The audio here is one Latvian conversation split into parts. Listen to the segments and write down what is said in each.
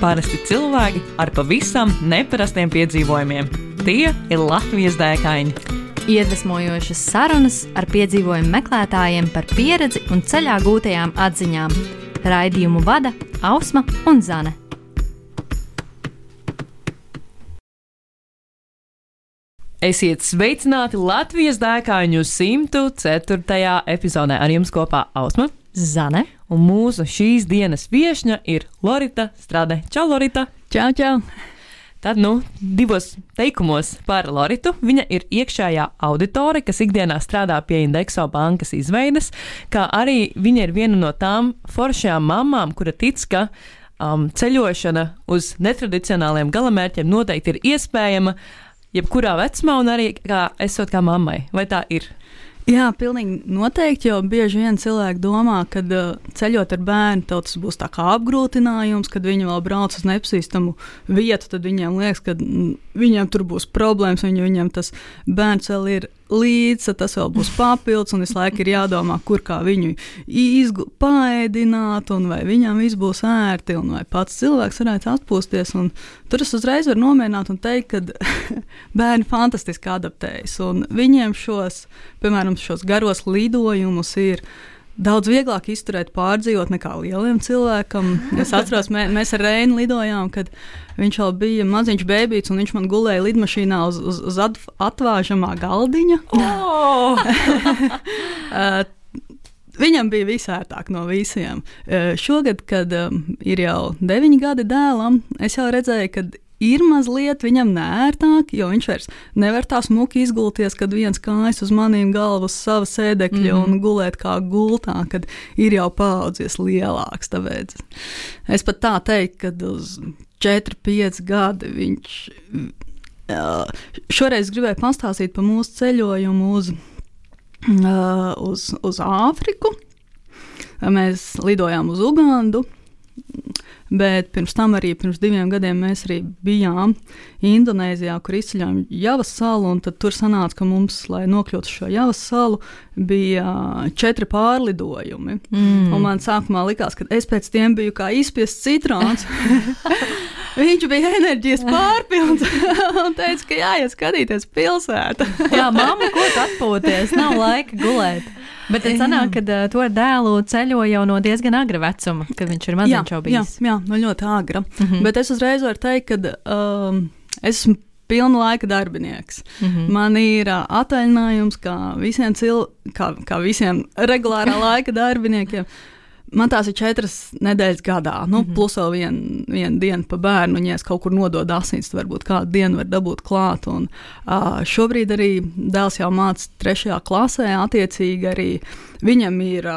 Parasti cilvēki ar pavisam neparastiem piedzīvojumiem. Tie ir Latvijas dēkaini. Iedvesmojošas sarunas ar piedzīvojumu meklētājiem par pieredzi un ceļā gūtajām atziņām. Raidījumu vada Ausma un Zane. Esiet sveicināti Latvijas dēkaņu 104. epizodē. Ar jums kopā Ausma, Zane un mūsu šīs dienas viešņa ir Lorita Strade. Čau, Lorita! Čau, čau! Tad, divos teikumos par Loritu. Viņa ir iekšējā auditore, kas ikdienā strādā pie Indexo bankas izveides, kā arī viņa ir viena no tām foršajām mamām, kura tic, ka ceļošana uz netradicionāliem galamērķiem noteikti ir iespējama jebkurā vecumā un arī esot kā mammai. Vai tā ir? Jā, pilnīgi noteikti, jo bieži vien cilvēki domā, ka ceļot ar bērnu, tas būs tā kā apgrūtinājums, kad viņi vēl brauc uz nepazīstamu vietu, tad viņiem liekas, ka viņiem tur būs problēmas, viņiem tas bērns vēl ir līdz, tas vēl būs papildus, un visu laiku ir jādomā, kur kā viņu paēdināt, un vai viņam viss būs ērti, un vai pats cilvēks varētu atpūsties, un tur es uzreiz varu nomierināt un teikt, ka bērni fantastiski adaptējas, un viņiem piemēram, šos garos lidojumus ir daudz vieglāk izturēt, pārdzīvot nekā lieliem cilvēkam. Es atceros, mēs ar Reinu lidojām, kad viņš vēl bija maziņš bēbīts, un viņš man gulēja lidmašīnā uz atvāžamā galdiņa. Oh! Viņam bija visērtāk no visiem. Šogad, kad ir jau 9 gadi dēlam, es jau redzēju, ka ir mazliet viņam neērtāk, jo viņš vairs nevar tā smuki izgulties, kad viens kājas uz manīm galvu uz sava sēdekļa un gulēt kā gultā, kad ir jau paaudzies lielāks. Tāpēc es pat tā teiktu, kad uz 4-5 gadi viņš šoreiz gribēja pastāstīt par mūsu ceļojumu uz Āfriku. Mēs lidojām uz Ugandu. Bet pirms 2 gadiem mēs arī bijām Indonēzijā, kur izceļām Javas salu, un tad tur sanāca, ka mums, lai nokļūtu šo Javas salu, bija 4 pārlidojumi. Un man sākumā likās, ka es pēc tiem biju kā izspiests citrons. Viņš bija enerģijas pārpilns un teica, ka jāiet skatīties pilsētu. Jā, mamma, ko tu atpūties? Nav laika gulēt. Bet tad sanāk, ka to ar dēlu ceļo jau no diezgan agra vecuma, kad viņš ir maziņš jau bijis. Jā, no ļoti agra. Bet es uzreiz varu teikt, ka es esmu pilna laika darbinieks. Man ir atvaļinājums kā visiem regulārā laika darbiniekiem. Man tās ir 4 nedēļas gadā, plus vēl viena diena pa bērnu, un ja es kaut kur nododu asins, tad varbūt kādu dienu var dabūt klāt. Un, šobrīd arī dēls jau māca 3. klasē, attiecīgi arī viņam ir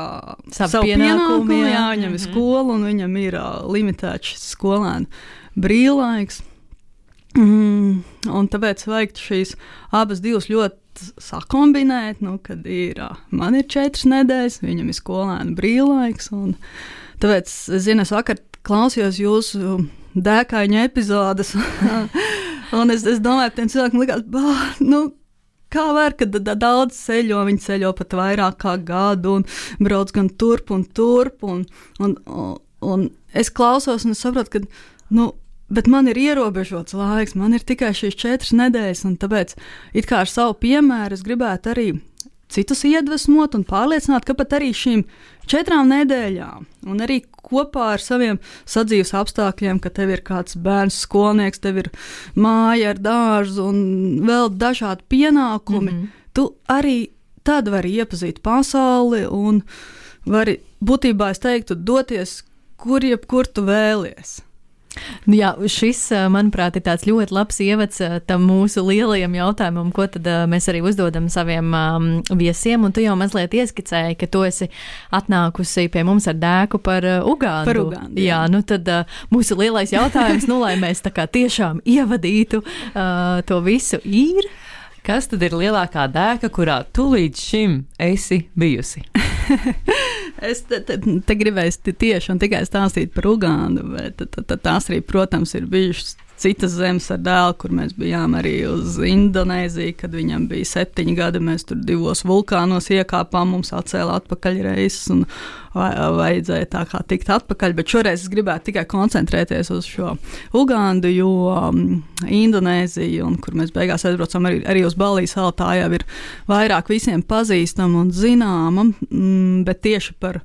savu pienākumu, viņam ir skola, un viņam ir limitēts šis skolēnu brīvlaiks. Un tāpēc vajag šīs abas divas ļoti sakombinēt, kad man ir 4 nedēļas, viņam ir skolēnu brīvlaiks, un tāpēc, es vakar klausījos jūsu dēkaņu epizodes, un es domāju, tiem cilvēkiem likās, kā var, kad daudz ceļo, viņi ceļo pat vairāk kā gadu, un brauc gan turp, un es klausos, un es saprotu, ka, bet man ir ierobežots laiks, man ir tikai šīs 4 nedēļas, un tāpēc it kā ar savu piemēru es gribētu arī citus iedvesmot un pārliecināt, ka pat arī šīm 4 nedēļām un arī kopā ar saviem sadzīves apstākļiem, ka tev ir kāds bērns skolnieks, tev ir māja ar dārzu un vēl dažādi pienākumi, tu arī tad vari iepazīt pasauli un vari, būtībā es teiktu, doties, kur tu vēlies. Jā, šis, manuprāt, ir tāds ļoti labs ievads tam mūsu lielajam jautājumam, ko tad mēs arī uzdodam saviem viesiem, un tu jau mazliet ieskicēji, ka tu esi atnākusi pie mums ar dēku par Ugandu. Par Ugandu, jā. Tad mūsu lielais jautājums, lai mēs tā kā tiešām ievadītu to visu ir. Kas tad ir lielākā dēka, kurā tu līdz šim esi bijusi? Es te gribēju tieši un tikai stāstīt par Ugandu, bet tās arī, protams, ir bijušas citas zemes ar dēlu, kur mēs bijām arī uz Indonēziju, kad viņam bija 7 gadi, mēs tur 2 vulkānos iekāpām, mums atcēla atpakaļ reizes un vajadzēja tā kā tikt atpakaļ, bet šoreiz es gribētu tikai koncentrēties uz šo Ugandu, jo Indonēziju, un kur mēs beigās aizbraucam arī uz Balijas salu, tā jau ir vairāk visiem pazīstama un zināma, bet tieši par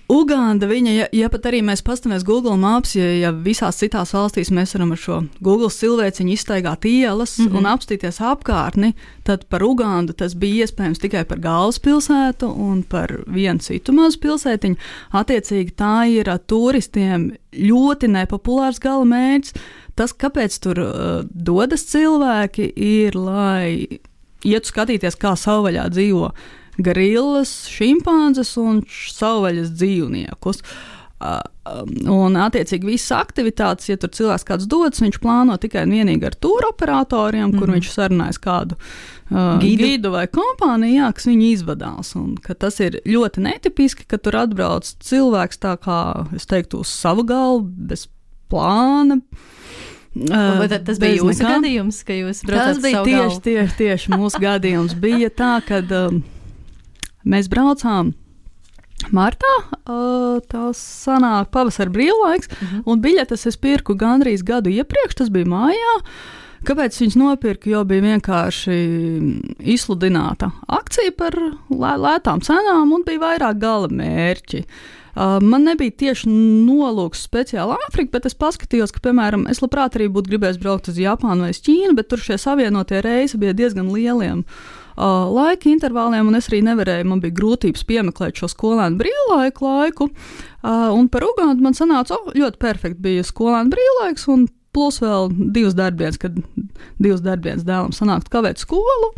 Uganda, viņa, ja pat arī mēs pastamies Google Maps, ja visās citās valstīs mēs varam ar šo Google silvēciņu izstaigāt ielas un apstīties apkārtni, tad par Ugandu tas bija iespējams tikai par galvaspilsētu un par vienu citu mazu pilsētiņu. Attiecīgi tā ir turistiem ļoti nepopulārs galamērķis. Tas, kāpēc tur dodas cilvēki, ir, lai ietu skatīties, kā savvaļā dzīvo gorillas, šimpanzes un savvaļas dzīvniekus. Un, attiecīgi, visas aktivitātes, ja tur cilvēks kāds dodas, viņš plāno tikai un vienīgi ar tūroperatoriem, kur viņš sarunājas kādu gidu vai kompāniju, jā, kas viņu izvadās. Un ka tas ir ļoti netipiski, ka tur atbrauc cilvēks tā kā, es teiktu, uz savu galvu, bez plāna. Tas bija jūsu gadījums, ka jūs braucat savu galvu? Tas bija tieši mūsu gadījums. Bija tā, kad mēs braucām martā, tās sanāk pavasara brīvlaiks, un biļetes es pirku gandrīz gadu iepriekš, tas bija mājā. Kāpēc viņas nopirku? Jo bija vienkārši izsludināta akcija par lētām cenām un bija vairāk gala mērķi. Man nebija tieši nolūks speciāli Āfrika, bet es paskatījos, ka, piemēram, es labprāt arī būtu gribējis braukt uz Japānu vai uz Ķīnu, bet tur šie savienotie reisi bija diezgan lieliem laika intervāliem, un es arī nevarēju, man bija grūtības piemeklēt šo skolēnu brīvlaiku laiku, un par Ugandu man sanāca, ļoti perfekti bija skolēnu brīvlaiks, un plus vēl 2 darbdienas, kad 2 darbdienas dēlam sanākt kavēt skolu,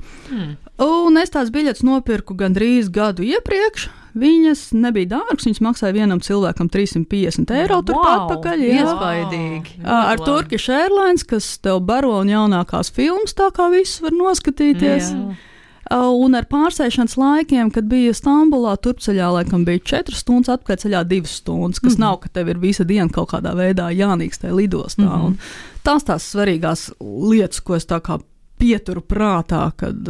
un es tās biļetes nopirku gandrīz gadu iepriekš. Viņas nebija dārgas, viņas maksāja vienam cilvēkam 350 eiro turpat pakaļ. Iespaidīgi. Ar Turkish Airlines, kas tev baro un jaunākās filmas, tā kā visus var noskatīties. Jā. Un ar pārsēšanas laikiem, kad bija Stambulā, turpceļā laikam bija 4 stundas, atpakaļceļā 2 stundas, kas nav, ka tev ir visa diena kaut kādā veidā jānīkstē lidostā. Un tās svarīgās lietas, ko es tā kā pieturu prātā, kad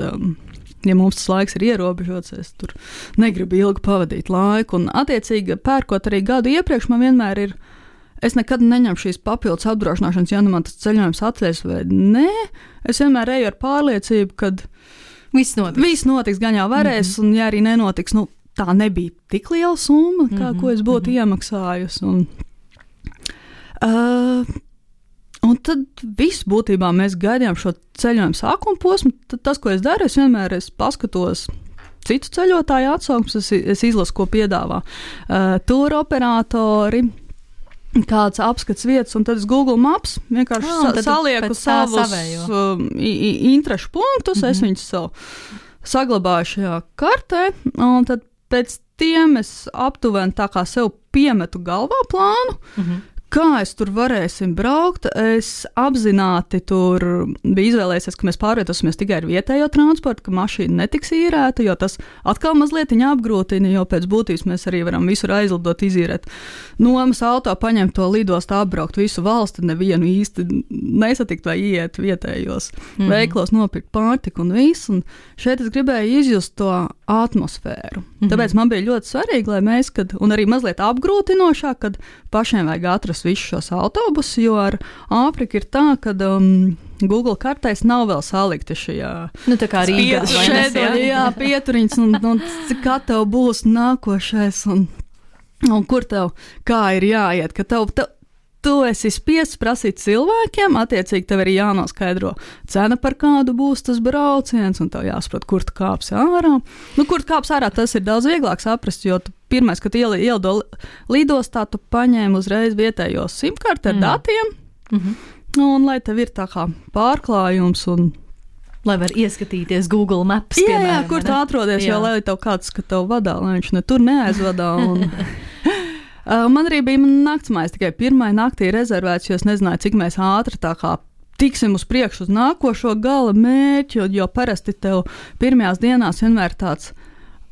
ja mums tas laiks ir ierobežots, es tur negribu ilgi pavadīt laiku. Un, attiecīgi, pērkot arī gadu iepriekš, man vienmēr ir, es nekad neņemu šīs papildus apdrošināšanas, ja nu man tas ceļojums atceļas vai nē. Es vienmēr eju ar pārliecību, kad viss notiks, gan jau varēs, un ja arī nenotiks, nu, tā nebija tik liela summa, kā ko es būtu iemaksājusi. Un tad viss būtībā mēs gaidījām šo ceļojumu sākuma posmu. Tad tas, ko es daru, es vienmēr paskatos citu ceļotāju atsauksmes, es izlasu, ko piedāvā tūroperatori, kāds apskats vietas, un tad es Google Maps vienkārši salieku savus interešu punktus, es viņus saglabāju šajā kartē, un tad pēc tiem es aptuveni tā kā sev piemetu galvā plānu, kā es tur varēsim braukt. Es apzināti tur biju izvēlējies, ka mēs pārvietosimies tikai ar vietējo transportu, ka mašīna netiks īrēta, jo tas atkal mazliet apgrūtina, jo pēc būtības mēs arī varam visur aizlidot, izīrēt nomas auto, paņemt to lidostu, apbraukt visu valsti, nevienu īsti nesatikt vai iet vietējos veiklos, nopirkt pārtiku un visu. Un šeit es gribēju izjust to atmosfēru. Tāpēc man bija ļoti svarīgi, lai mēs, un arī mazliet apgrūtinošāk, kad pašiem vajag atrast visus šos autobusus, jo ar Āfriku ir tā, ka Google kartēs nav vēl salikti šajā tā kā Rīgā pieturiņas, un kā tev būs nākošais, un kur tev kā ir jāiet, ka tu esi spiests prasīt cilvēkiem, attiecīgi tev arī jānoskaidro cena, par kādu būs tas brauciens, un tev jāsaprot, kur tu kāpsi ārā. Kur tu kāpsi ārā, tas ir daudz vieglāk saprast, jo pirmais, kad ielido lidostā, tu paņēmi uzreiz vietējos simkarti ar datiem, un lai tev ir tā kā pārklājums un lai var ieskatīties Google Maps, jā, kur tu atrodies, jo lai tev kāds, ka tev vadā, lai viņš ne tur neaizvadā. Man arī bija naktsmājas tikai pirmai naktī rezervēts, jo es nezināju, cik mēs ātri tā kā tiksim uz priekšu uz nākošo gala mērķi, jo parasti tev pirmajās dienās vienmēr tāds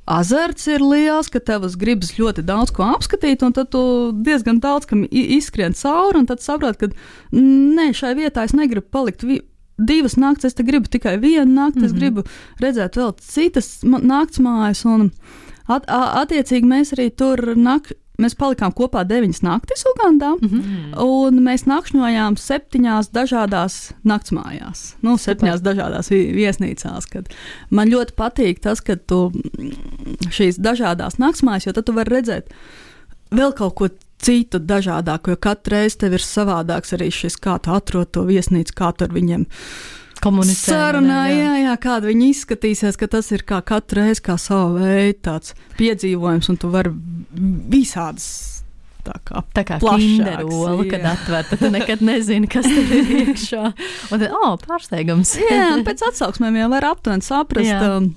azarts ir liels, ka tev gribas ļoti daudz ko apskatīt, un tad tu diezgan daudz kam izskrien cauri, un tad saproti, ka nē, šai vietā es negribu palikt 2 naktas, es te gribu tikai 1 nakti, es gribu redzēt vēl citas naktsmājas, un attiecīgi mēs arī tur mēs palikām kopā 9 naktis Ugandā, un mēs nakšņojām 7 dažādās naktsmājās, 7 dažādās viesnīcās, kad man ļoti patīk tas, ka tu šīs dažādās naktsmājas, jo tad tu vari redzēt vēl kaut ko citu dažādāku, jo katru reizi tev ir savādāks arī šis, kā tu atrod to viesnīcu, kā tu ar viņiem sarunā, jā, kāda viņi izskatīsies, ka tas ir kā katru reizi kā sava veida tāds piedzīvojums, un tu vari visādas tā kā kinderola, kad atver, tad tu nekad nezini, kas tur ir iekšā. Un tad, pārsteigums. Jā, un pēc atsauksmēm jau var aptuveni saprast,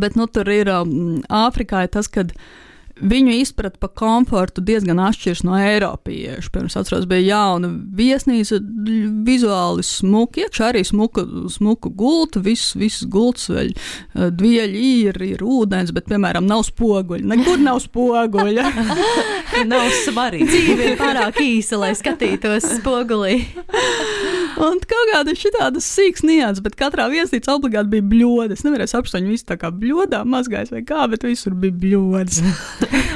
bet tur ir Āfrikā tas, kad viņu izprat par komfortu diezgan atšķirs no eiropiešu. Pirms atceros, bija jauna viesnīca, vizuāli smuka, iekšā arī smuka gulta, viss gults vēl, dvieļi ir ūdens, bet, piemēram, nav spoguļa. Nekur nav spoguļa. Nav svarīgi. Dzīve ir pārāk īsa, lai skatītos spogulī. Un kaut kāda šitādas sīks nians, bet katrā viesnīca obligāti bija bļoda. Es nevarēju saprast, viņi visi tā kā bļodā mazgājas vai kā, bet visur bija bļodas.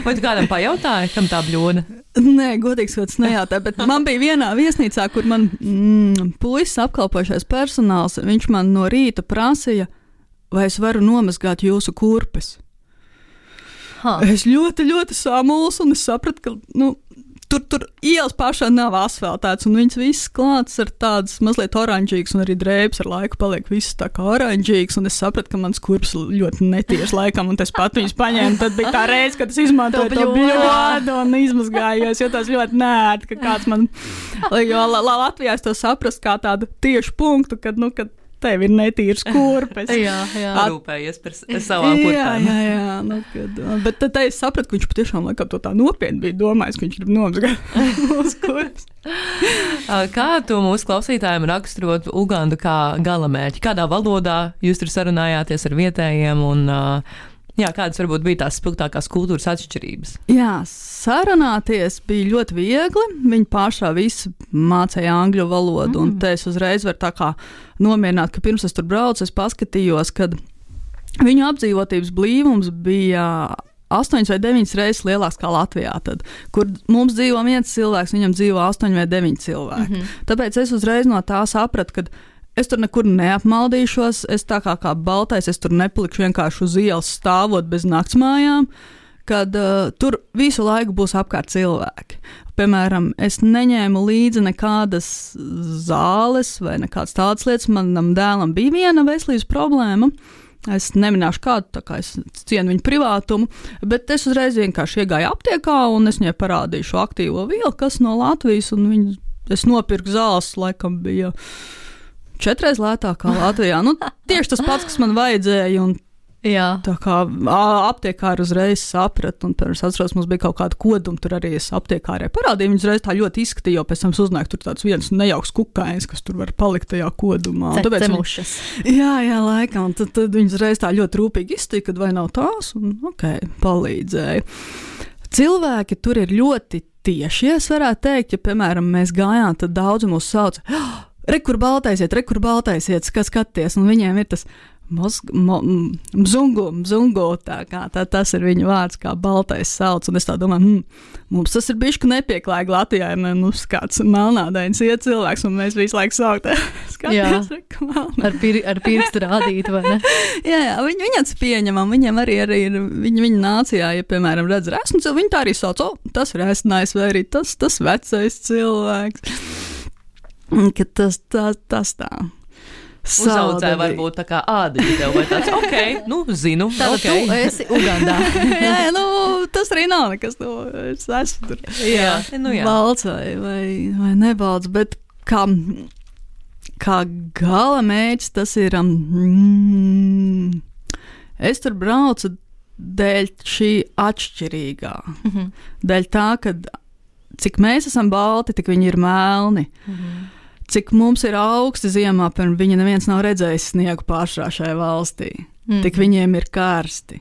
Vai tu kādam pajautāji, kam tā bļoda? Nē, godīgs vārds nejautāja, bet man bija vienā viesnīcā, kur man puisis apkalpošais personāls, viņš man no rīta prasīja, vai es varu nomazgāt jūsu kurpes. Es ļoti, ļoti samulsu, un es sapratu, ka, tur ielas pašā nav asfaltēts, un viņas viss klāts ar tādas mazliet oranžīgas, un arī drēbes ar laiku paliek viss tā kā oranžīgas, un es sapratu, ka mans kurps ļoti netieši laikam, un es pat viņus paņēmu, tad bija tā reize, kad es izmantoju to bļodu un izmazgājos, jo tas ļoti nērti, ka kāds man, jo Latvijā es to saprast kā tādu tiešu punktu, kad tev ir netīrs kurpes. Rūpējies par savām kurpēm. Jā. Bet tad es sapratu, ka viņš patiešām laikam to tā nopietni bija domājis, ka viņš grib nomazgāt mūsu kurpes. Kā tu mūsu klausītājiem raksturot Ugandu kā galamērķi? Kādā valodā jūs tur sarunājāties ar vietējiem un kādas varbūt bija tās spilgtākās kultūras atšķirības? Jā, sarunāties bija ļoti viegli. Viņi pašā visi mācīja angļu valodu, un te es uzreiz varu tā kā nomierināt, ka pirms es tur braucu, es paskatījos, kad viņu apdzīvotības blīvums bija 8 vai 9 reizes lielāks kā Latvijā. Tad, kur mums dzīvo 1 cilvēks, viņam dzīvo 8 vai 9 cilvēki. Tāpēc es uzreiz no tā sapratu, ka es tur nekur neapmaldīšos, es tā kā baltais, es tur nepalikšu vienkārši uz ielas stāvot bez naktsmājām, kad tur visu laiku būs apkārt cilvēki. Piemēram, es neņēmu līdzi nekādas zāles vai nekādas tādas lietas. Manam dēlam bija viena veselības problēma. Es neminēšu kādu, tā kā es cienu viņu privātumu, bet es uzreiz vienkārši iegāju aptiekā un es viņai parādīju šo aktīvo vielu, kas no Latvijas, un es nopirku zāles, laikam bija 4 reizes lētāk kā Latvijā. Tieši tas pats, kas man vajadzēja, un tā kā aptiekāri uzreiz saprata, un pirms atceros, mums bija kaut kāda koduma, tur arī es aptiekārē parādīju, viņas uzreiz tā ļoti izskatīja, jo pēc tam uzzināju, tur tāds viens nejauks kukainis, kas tur var palikt tajā kodumā. Cemušas. Jā, laikam, un tad viņas uzreiz tā ļoti rūpīgi izstīja, kad vai nav tās, un palīdzēja. Cilvēki tur ir ļoti tieši, es varētu teikt, ja, piemēram, mēs gājām, tad daudzi mūs sauc, re, kur baltaisiet, kas skaties, un viņiem ir tas mzungu, tā kā tas ir viņa vārds, kā baltais sauc, un es tā domāju, mums tas ir bišķi nepieklājīgi Latvijā, ja mums kāds melnādains iet cilvēks, un mēs visu laiku saukt, skaties, ar pirkstu rādīt, vai ne? Jā, viņi tas pieņemam, viņiem arī ir, viņa nācijā, ja, piemēram, redz resnu, viņi tā arī sauc, tas resnais, vai arī tas vecais cilvēks, ka tas tā. Uzaudzēja varbūt tā kā ādiņa tev vai tāds, zinu. Tātad tu esi Ugandā. Jā, tas arī nav nekas, es esmu tur. Jā. Balts vai nebalts, bet kā gala mērķis tas ir, es tur braucu dēļ šī atšķirīgā. Dēļ tā, ka cik mēs esam balti, tik viņi ir melni. Cik mums ir augsti ziemā, pirms viņa neviens nav redzējis sniegu pašā šajā valstī. Tik viņiem ir karsti.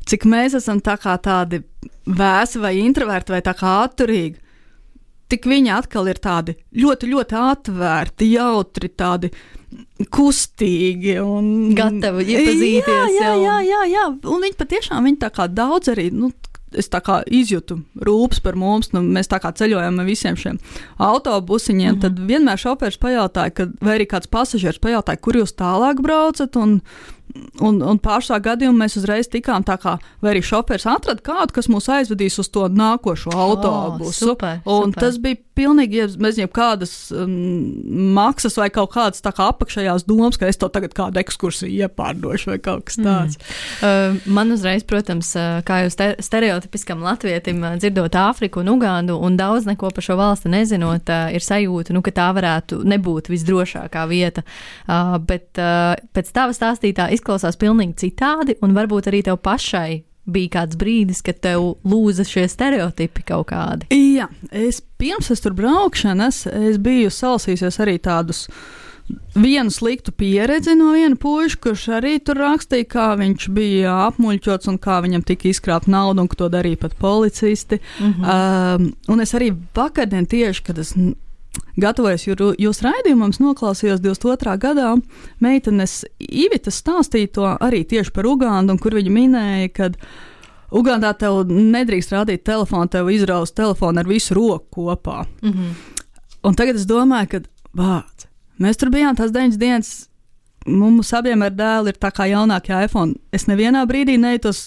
cik mēs esam tā kā tādi vēsi vai introverti vai tā kā atturīgi, tik viņi atkal ir tādi ļoti, ļoti atvērti, jautri, tādi kustīgi un gatavi iepazīties. Jā. Un viņi patiešām, viņi tā kā daudz arī, es tā kā izjūtu rūpes par mums, mēs tā kā ceļojam ar visiem šiem autobusiņiem, tad vienmēr šofērs pajautāja, vai arī kāds pasažieris pajautāja, kur jūs tālāk braucat, un pāršā gadījumā mēs uzreiz tikām tā kā, vai arī šofērs atrada kādu, kas mūs aizvedīs uz to nākošo autobusu. Super. Tas bija pilnīgi, bez jebkādas maksas vai kaut kādas tā kā apakšējās domas, ka es to tagad kādu ekskursiju iepārdošu vai kaut kas tāds. Man uzreiz, protams, kā jau stereotipiskam latvietim, dzirdot Āfriku un Ugandu un daudz neko par šo valsti nezinot, ir sajūta, ka tā varētu nebūt visdrošākā vieta. Bet pēc tava stāstītā izklausās pilnīgi citādi, un varbūt arī tev pašai bija kāds brīdis, kad tev lūza šie stereotipi kaut kādi. Jā, pirms tur braukšanas, es biju salasījusies arī tādus vienu sliktu pieredzi no viena puiša, kurš arī tur rakstīja, kā viņš bija apmuļķots un kā viņam tika izkrāpt naudu un ka to darīja pat policisti. Un es arī vakardien tieši, kad es gatavojos jūs raidījumam, noklausījos 22. gadā meitenes Ivitas stāstīja to arī tieši par Ugandu, un kur viņa minēja, ka Ugandā tev nedrīkst rādīt telefonu, tev izraus telefonu ar visu roku kopā. Un tagad es domāju, ka mēs tur bijām tās 9 dienas, mums abiem ar dēlu ir tā kā jaunākie iPhone. Es nevienā brīdī nejūtos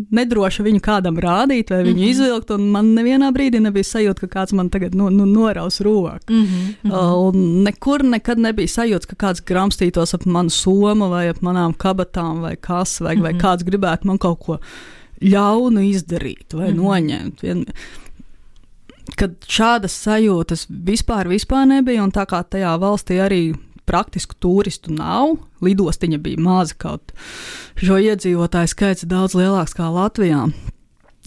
nedroši viņu kādam rādīt vai viņu izvilkt, un man nevienā brīdī nebija sajūta, ka kāds man tagad noraus roku. Un nekur nekad nebija sajūta, ka kāds gramstītos ap manu somu vai ap manām kabatām vai kas, vai kāds gribētu man kaut ko ļaunu izdarīt vai noņemt. Kad šādas sajūtas vispār nebija, un tā kā tajā valstī arī praktisku turistu nav, lidostiņa bija maza, kaut šo iedzīvotāju skaits daudz lielāks kā Latvijā.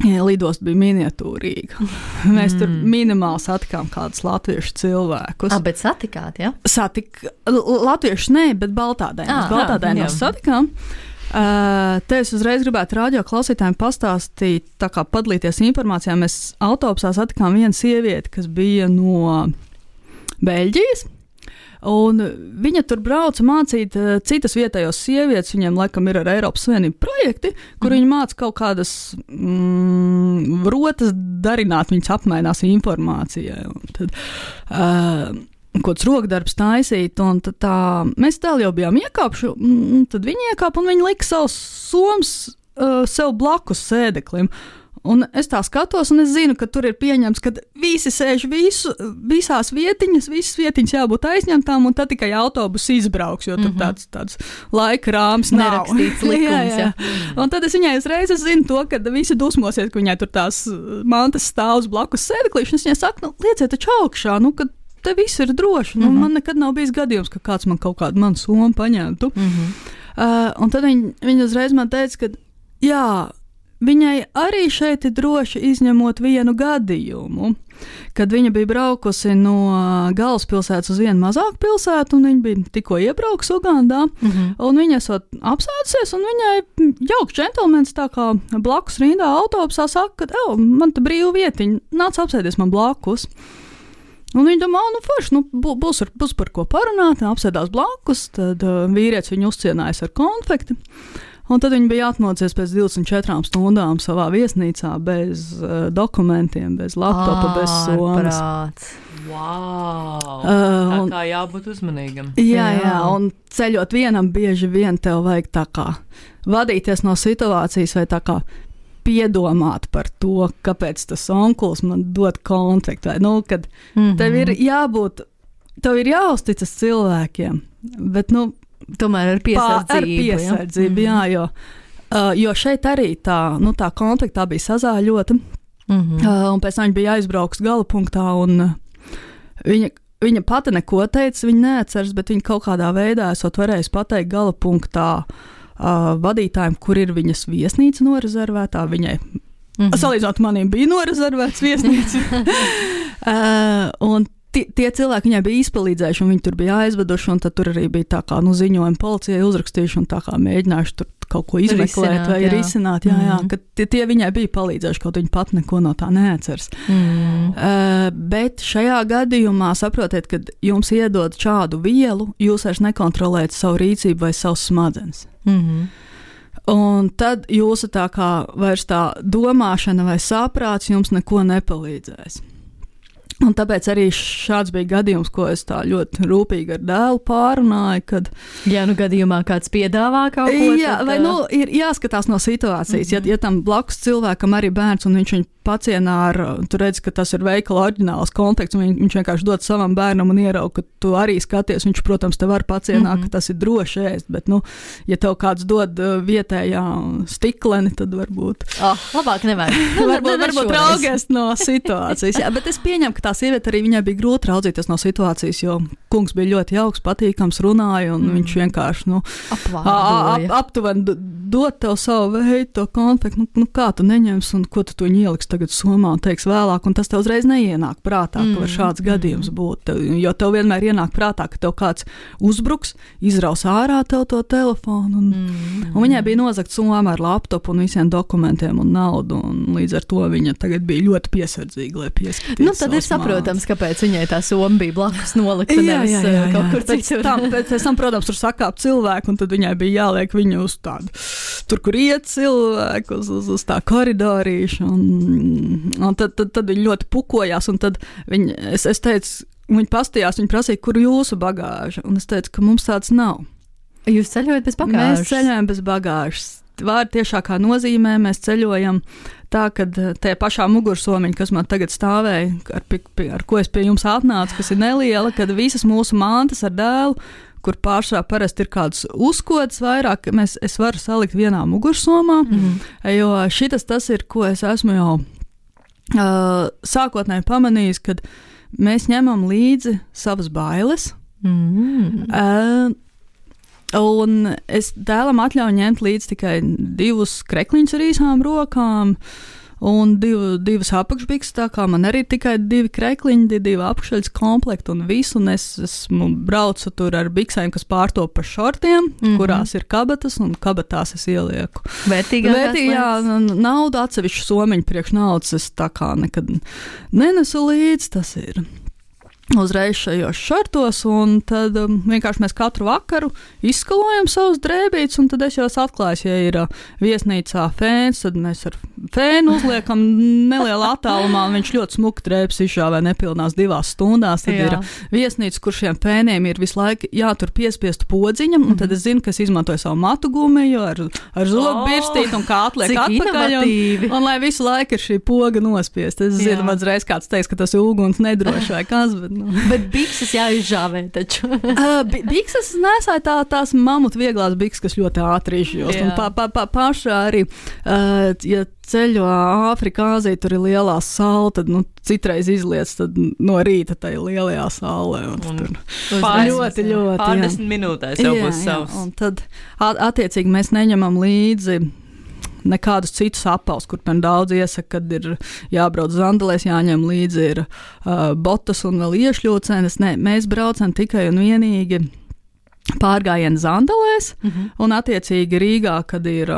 Lidosta bija miniatūrīga. Mēs tur minimāli satikām kādus latviešu cilvēkus. Bet satikāt, ja? Latviešu ne, bet baltādainos satikām. Te es uzreiz gribētu radio klausītājiem pastāstīt, tā kā padalīties informācijā. Mēs autobusā satikām vienu sievieti, kas bija no Beļģijas. Un viņa tur brauca mācīt citas vietējos sievietes, viņiem laikam ir ar Eiropas Savienību projekti, kur viņi māca kaut kādas rotas darināt, viņas apmainās informācijai. Un tad, kāds rokdarbs taisīt, un tad mēs jau bijām iekāpši, tad viņi iekāpa un viņi lika savus somas sev blakus sēdeklim. Un es tā skatos, un es zinu, ka tur ir pieņemts, ka visi sēž visas vietiņas jābūt aizņemtām, un tad tikai autobus izbrauks, jo tur tāds laika rāms nav. Nerakstīts likums, jā. Un tad es viņai uzreiz zinu to, ka visi dusmosies, ka viņai tur tās mantas stāvs blakus sēdeklīši, un es viņai saku, lieciet taču augšā, ka te viss ir droši. Man nekad nav bijis gadījums, ka kāds man kaut kādu manu somu paņemtu. Un tad viņa uzreiz man teica, ka jā, viņai arī šeit ir droši izņemot vienu gadījumu, kad viņa bija braukusi no galvaspilsētas uz vienu mazāku pilsētu, un viņa bija tikko iebraukusi Ugandā, un viņa esot apsēdusies, un viņai jauks džentelmenis tā kā blakus rindā autobusā saka, ka man te brīva vietiņa, nāc apsēdies man blakus. Un viņa domā, forši, būs par ko parunāt, apsēdās blakus, tad vīrietis viņu uzcienājis ar konfekti. Un tad viņi bija atmocies pēc 24 stundām savā viesnīcā bez dokumentiem, bez laptopa, bez somas. Wow! Tā kā jābūt uzmanīgam. Jā, un ceļot vienam bieži vien tev vajag tā kā vadīties no situācijas vai tā kā piedomāt par to, kāpēc tas onkulis man dod konfektu. Kad tev ir jābūt, tev ir jāuzticas cilvēkiem, bet, tomēr ar piesardzību. Jā, jo šeit arī tā konflikta bija sazāļota, un pēc tam viņa bija aizbraukusi gala punktā, un viņa pati neko teica, viņa neatceras, bet viņa kaut kādā veidā esot varējusi pateikt gala punktā vadītājiem, kur ir viņas viesnīca norezervētā, viņai, salīdzinot maniem, bija norezervēts viesnīca, un tie cilvēki viņai bija izpalīdzējuši, un viņi tur bija aizveduši, un tad tur arī bija tā kā ziņojumi policijai uzrakstījuši, un tā kā mēģinājuši tur kaut ko izmeklēt vai risināt. Jā, ka tie viņai bija palīdzējuši, kaut viņa pat neko no tā neatceras. Bet šajā gadījumā saprotiet, kad jums iedod šādu vielu, jūs vairs nekontrolējat savu rīcību vai savus smadzenes. Un tad jūsu tā kā vairs tā domāšana vai saprāts jums neko nepalīdzēs. Un tāpēc arī šāds bija gadījums, ko es tā ļoti rūpīgi ar dēlu pārunāju, kad... Ja gadījumā kāds piedāvā kaut ko, jā, vai ir jāskatās no situācijas. Ja tam blakus cilvēkam arī bērns un viņš viņu pacienā ar, tu redzi, ka tas ir veikala oriģināls konteksts, un viņš vienkārši dod savam bērnam un ierauga, ka tu arī skaties, viņš, protams, te var pacienā, ka tas ir droši ēst, bet, ja tev kāds dod vietējā stikleni, tad varbūt... labāk nevajag. varbūt raugies no situācijas. Jā, bet es pieņemu, ka tā sieviete arī viņai bija grūti raudzīties no situācijas, jo kungs bija ļoti jauks, patīkams, runāja, un viņš vienkārši, aptuveni dod tev savu veidu, to konfektu, kā tu neņems, un ko tu ieliks tagad somā un teiks vēlāk, un tas tev uzreiz neienāk prātā, ka var šāds gadījums būt, jo tev vienmēr ienāk prātā, ka tev kāds uzbruks, izraus ārā tev to telefonu, un viņai bija nozagts summa ar laptopu un visiem dokumentiem un naudu, un līdz ar to viņa tagad bija ļoti piesardzīga, lai pieskatītu. Tad ir saprotams, kāpēc viņai tā summa bija blakus nolikta, nevis kaut kur citur. Pēc tam, protams, tur sakāp cilvēku, un tad viņai bija jāliek viņu uz tādu, tur, kur iet cilvēku, uz tā koridorīšu, un tad viņi ļoti pukojās, un tad es teicu, viņi pastījās, viņi prasīja, kur jūsu bagāža, un es teicu, ka mums tāds nav. Jūs ceļojat bez bagāžas? Mēs ceļojam bez bagāžas. Vārdu tiešākā nozīmē mēs ceļojam tā, ka tajā pašā mugursomiņa, kas man tagad stāvēja, ar ko es pie jums atnācu, kas ir neliela, kad visas mūsu mantas ar dēlu, kur pārsvarā parasti ir kāds uzkods vairāk, es varu salikt vienā mugursomā, jo tas ir, ko es esmu jau sākotnēji pamanījis, kad mēs ņemam līdzi savas bailes, un es dēlam atļauju ņemt līdzi tikai 2 krekliņus ar īsām rokām, un 2 apakšbikses, tā kā man arī tikai 2 krekliņi, 2 apakšaļas komplekti un visu, un es braucu tur ar biksēm, kas pārtop pa šortiem, kurās ir kabatas, un kabatās es ielieku. Vērtīgā naudu atsevišķu somiņu priekš naudas, es tā kā nekad nenesu līdzi, tas ir uzreiz šajos šortos, un tad vienkārši mēs katru vakaru izskalojam savus drēbītes, un tad es jau atklāju, ja ir viesnīcā fēns, tad mēs ar fēnu uzliekam nelielā attālumā, un viņš ļoti smuki drēbes izžāvē nepilnās 2 stundās, tad ir viesnīca, kur šiem fēniem ir visu laiku jātur piespiestu podziņam, un tad es zinu, ka es izmantoju savu matu gumiju ar zobu birstīti, un kā atliek atpakaļ, un lai visu laiku ir šī poga nospiest. Es zinu, man reiz kāds teiks, ka tas ir uguns nedroši vai kas, Bet bikses jāizžāvē taču. Bikses nesāja tās mamutu vieglās bikses, kas ļoti ātri izžost. Un pašā arī, ja ceļo Āfrika, Āzija, tur ir lielā saule, tad citreiz izliec no rīta tai lielajā saulē. Ļoti. Pārdesmit minūtēs jau būs savs. Un tad attiecīgi mēs neņemam līdzi nekādus citus apavus, kur man daudz iesaka, kad ir jābrauc zandelēs, jāņem līdzi ir botas un vēl iešļūcenes. Nē, mēs braucam tikai un vienīgi pārgājienu zandelēs, un attiecīgi Rīgā, kad ir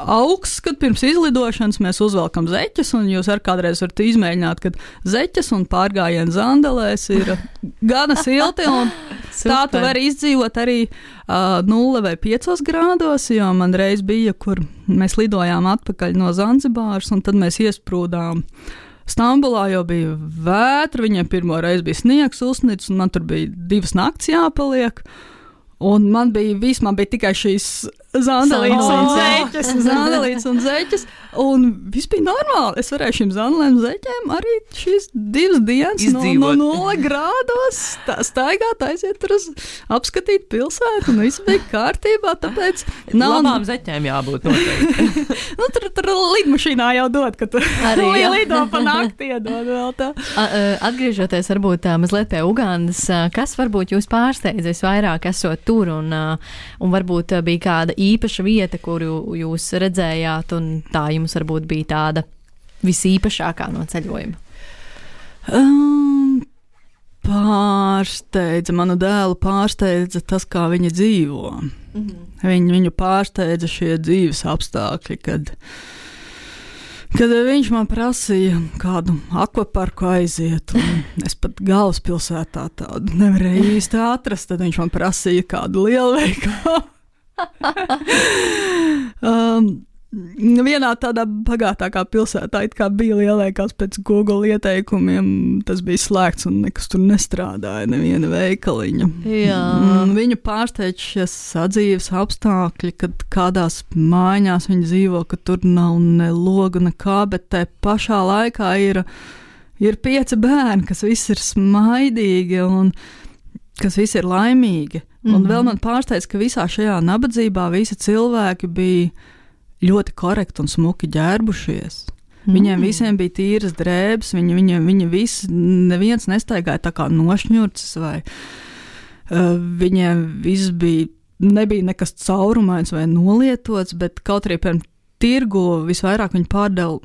augsts, kad pirms izlidošanas mēs uzvelkam zeķes, un jūs ar kādreiz varat izmēģināt, kad zeķes un pārgājienu zandelēs ir gana silti, un tā tu vari izdzīvot arī 0 vai 5 grādos, jo man reiz bija, kur mēs lidojām atpakaļ no Zanzibāras, un tad mēs iesprūdām Stambulā, jau bija vētra, viņiem pirmo reizi bija sniegs uzsnicis, un man tur bija 2 nakts jāpaliek. Un man bija tikai šīs zandelītes un zeķes, un viss bija normāli. Es varēju šīm zandelēm zeķēm arī šīs 2 dienas no 0 grādos staigāt, aiziet tur apskatīt pilsētu, un viss bija kārtībā, tāpēc labām zeķēm jābūt noteikti. Tur lidmašīnā jau dod, ka tur lido pa nakti iedod vēl tā. Atgriežoties varbūt mazliet pie Ugandas, kas varbūt jūs pārsteidz visvairāk esot tur, un varbūt bija kāda īpaša vieta, kuru jūs redzējāt, un tā jums varbūt bija tāda visīpašākā no ceļojuma? manu dēlu pārsteidza tas, kā viņa dzīvo. Viņu pārsteidza šie dzīves apstākļi, kad viņš man prasīja kādu akvaparku aiziet, un es pat galvaspilsētā tādu nevarēju īsti atrast, tad viņš man prasīja kādu lielveikalu. Vienā tādā bagātākā pilsētā it kā bija lielveikals pēc Google ieteikumiem, tas bija slēgts un nekas tur nestrādāja, neviena veikaliņa. Viņu pārsteidz šie sadzīves apstākļi, kad kādās mājās viņi dzīvo, ka tur nav ne logu, nekā, bet te pašā laikā ir 5 bērni, kas visi ir smaidīgi un kas visi ir laimīgi. Un vēl man pārsteidz, ka visā šajā nabadzībā visi cilvēki bija ļoti korekti un smuki ģērbušies. Viņiem visiem bija tīras drēbes, viņi visi, neviens nestaigāja tā kā nošņurcis, vai viņiem viss nebija nekas caurumains vai nolietots, bet kaut arī pirms tirgu visvairāk viņi pārdeva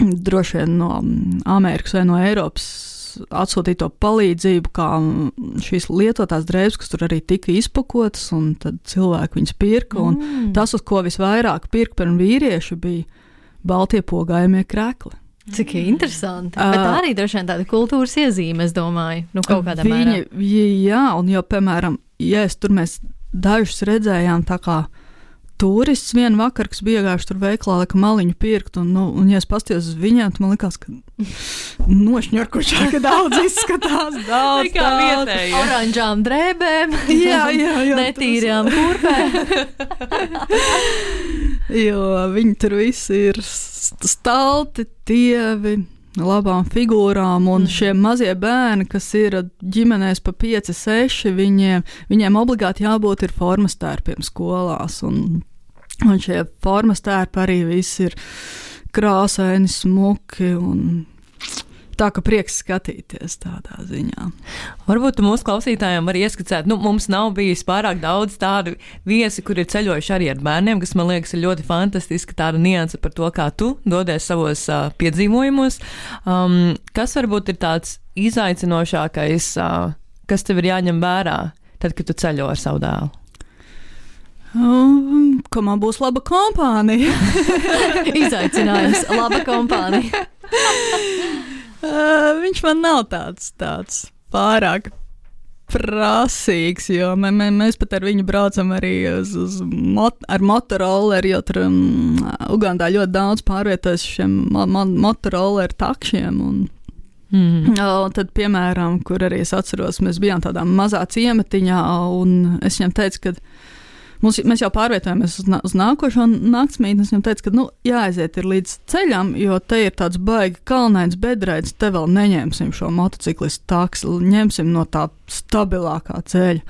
droši vien no Amerikas vai no Eiropas atsūtīto palīdzību, kā šīs lietotās drēbes, kas tur arī tika izpakotas, un tad cilvēki viņas pirka, un tas, uz ko visvairāk pirka par vīrieši, bija baltie pogājumie krekli. Cik interesanti. Bet tā arī droši vien tāda kultūras iezīme, es domāju, kaut kādā mērā. Jā, un jau, piemēram, tur mēs dažus redzējām tā kā turists vienu vakaru, kas bija iegājuši tur veiklā, ka maliņu pirkt, un ja es pastījos uz viņiem, tad man likās, ka nošņurkušāka daudz izskatās, daudz. Kā vietēji. Oranžām drēbēm, jā, netīrām kurpēm. Jo viņi tur visi ir stalti, tievi, labām figūrām, un šie mazie bērni, kas ir ģimenēs pa 5, 6, viņiem obligāti jābūt ir formas tērpiem skolās, un šie formas tērpi arī visi ir krāsaini, smuki, un tā, ka prieks skatīties tādā ziņā. Varbūt tu mūsu klausītājiem var ieskicēt, mums nav bijis pārāk daudz tādu viesi, kur ir ceļojuši arī ar bērniem, kas man liekas ir ļoti fantastiski, tāda nianse par to, kā tu dodies savos piedzīvojumos. Kas varbūt ir tāds izaicinošākais, kas tev ir jāņem vērā, tad, kad tu ceļo ar savu dēlu? Ka man būs laba kompānija. Izaicinājums, laba kompānija. Viņš man nav tāds pārāk prasīgs, jo mēs pat ar viņu braucam arī ar motorolleri, jo tur Ugandā ļoti daudz pārvietojas šiem motorolleri takšiem, un tad, piemēram, kur arī es atceros, mēs bijām tādā mazā ciematiņā, un es viņam teicu, ka mēs jau pārvietojamies uz nākošo naktsmītni. Es viņam teicu, ka jāaiziet ir līdz ceļam, jo te ir tāds baigi kalnains bedrēds, te vēl neņemsim šo motociklistu taksi, ņemsim no tā stabilākā ceļa.